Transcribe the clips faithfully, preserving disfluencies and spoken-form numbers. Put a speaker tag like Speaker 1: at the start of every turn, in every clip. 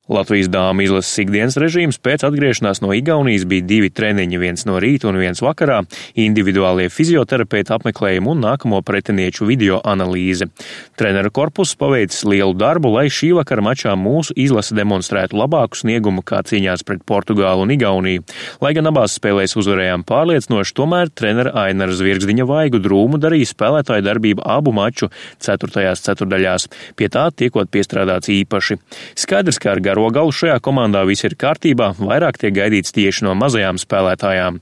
Speaker 1: Latvijas dāmu izlases ikdienas režīms pēc atgriešanās no Igaunijas bija divi treniņi, viens no rīta un viens vakarā, individuālie fizioterapeita apmeklējumi un nākamo pretinieču video analīze. Treneru korpuss paveicis lielu darbu, lai šī vakara mačā mūsu izlase demonstrētu labāku sniegumu kā cīņās pret Portugālu un Igauniju. Lai gan abās spēlēs uzvarējām pārliecinoši, tomēr trenera Ainara Zvirgzdiņa vaigu drūmu darīja spēlētāju darbību abu maču ceturtajās ceturdaļās, pie tā tiekot piestrādāts īpaši. Skaidrs, ka ar garo galu šajā komandā viss ir kārtībā, vairāk tiek gaidīts tieši no mazajām spēlētājām.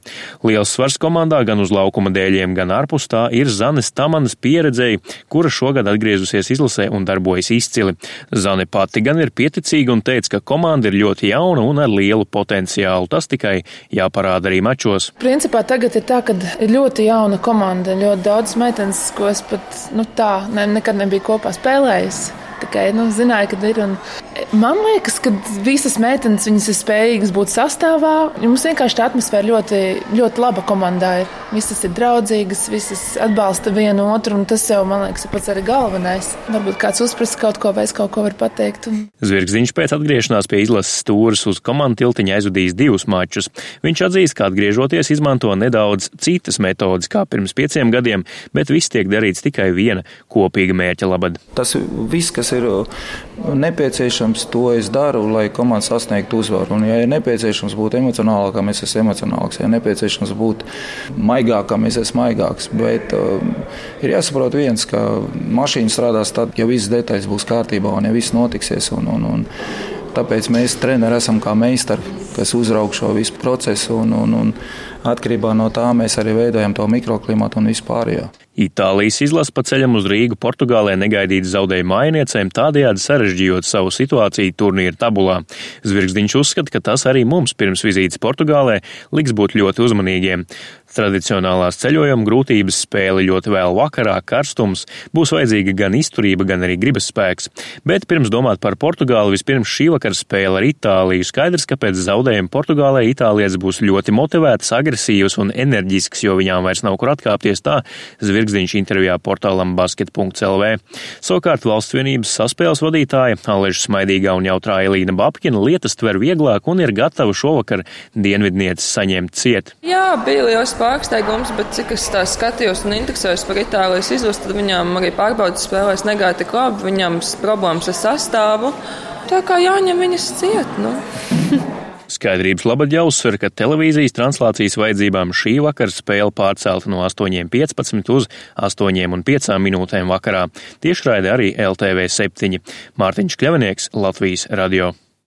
Speaker 1: Liels svars komandā gan uz laukuma dēļiem, gan ārpus tā ir Zanes Tamanas pieredzēji, kura šogad atgriezusies izlasē un darbojas izcili. Zane pati gan ir pieticīga un teica, ka komanda ir ļoti jauna un ar lielu potenciālu. Tas tikai jāparāda arī mačos.
Speaker 2: Principā tagad ir tā, ka ir ļoti jauna komanda, ļoti daudz meitenes, ko es pat nu, tā ne, nekad nebiju kopā spēlējis. Tikai, nu, zināju, kad ir. Un man liekas, ka visas meitenes viņas ir spējīgas būt sastāvā. Mums vienkārši tā atmosfēra ļoti, ļoti laba komandā ir. Visas ir draudzīgas, visas atbalsta vienu otru, un tas jau, man liekas, ir pats arī galvenais. Varbūt kāds uzprasa kaut ko vai es kaut ko var pateikt. Un...
Speaker 1: Zvirgzdiņš pēc atgriešanās pie izlases stūres uz komandu tiltiņa aizvadījis divus mačus. Viņš atzīst, ka atgriežoties izmanto nedaudz citas metodas kā pirms pieciem gadiem, bet viss tiek darīts tikai viena kopīga mērķa labad.
Speaker 3: Tas viss, kas ir nepieciešams, to es daru, lai komanda sasniegtu uzvaru. Un, ja ir nepieciešams būt emocionālākam, es esmu emocionālāks. Ja ir nepieciešams būt maigākam, es esmu maigāks. Bet uh, ir jāsaprot viens, ka mašīna strādās tad, ja visas detaļas būs kārtībā un ja viss notiksies. Un, un, un, tāpēc mēs treneri esam kā meistari, kas uzraug šo visu procesu. Un, un, un atkarībā no tā mēs arī veidojam to mikroklimatu un vispārējo.
Speaker 1: Itālijas izlase pa ceļam uz Rīgu Portugālē negaidīti zaudēja mājiniecēm, tādējādi sarežģījot savu situāciju turnīra tabulā. Zvirgzdiņš uzskata, ka tas arī mums pirms vizītes Portugālē liks būt ļoti uzmanīgiem. Tradicionālās ceļojuma grūtības, spēle ļoti vēl vakarā, karstums, būs vajadzīga gan izturība, gan arī gribas spēks. Bet pirms domāt par Portugāli, vispirms šī vakara spēle ar Itāliju. Skaidrs, ka pēc zaudējuma Portugālē itālietis būs ļoti motivēts, agresīvs un enerģisks, jo viņām vairs nav kur atkāpties, tā Zvirgzdiņš intervijā portālam basket punkts el vē. Savukārt Valsts vienības saspēles vadītāja Aleža Smaidīgā un jautrā Elīna Babkina lietas tver vieglāk un ir gatava šovakar dienvidnieces saņemt ciet.
Speaker 4: Jā, bija liels pārsteigums, bet cik es tā skatījos un interesējos par Itālijas izlasi, tad viņām arī pārbaudas spēlēs negāja tik labi, viņām problēmas ar sastāvu. Tā kā jāņem viņas ciet, nu.
Speaker 1: Skaidrības labad jāuzsver, ka televīzijas translācijas vajadzībām šī vakara spēle pārcelta no astoņiem piecpadsmit uz astoņiem un piecām minūtēm vakarā. Tiešraide arī el te vē septiņi. Mārtiņš Kļavinieks, Latvijas radio.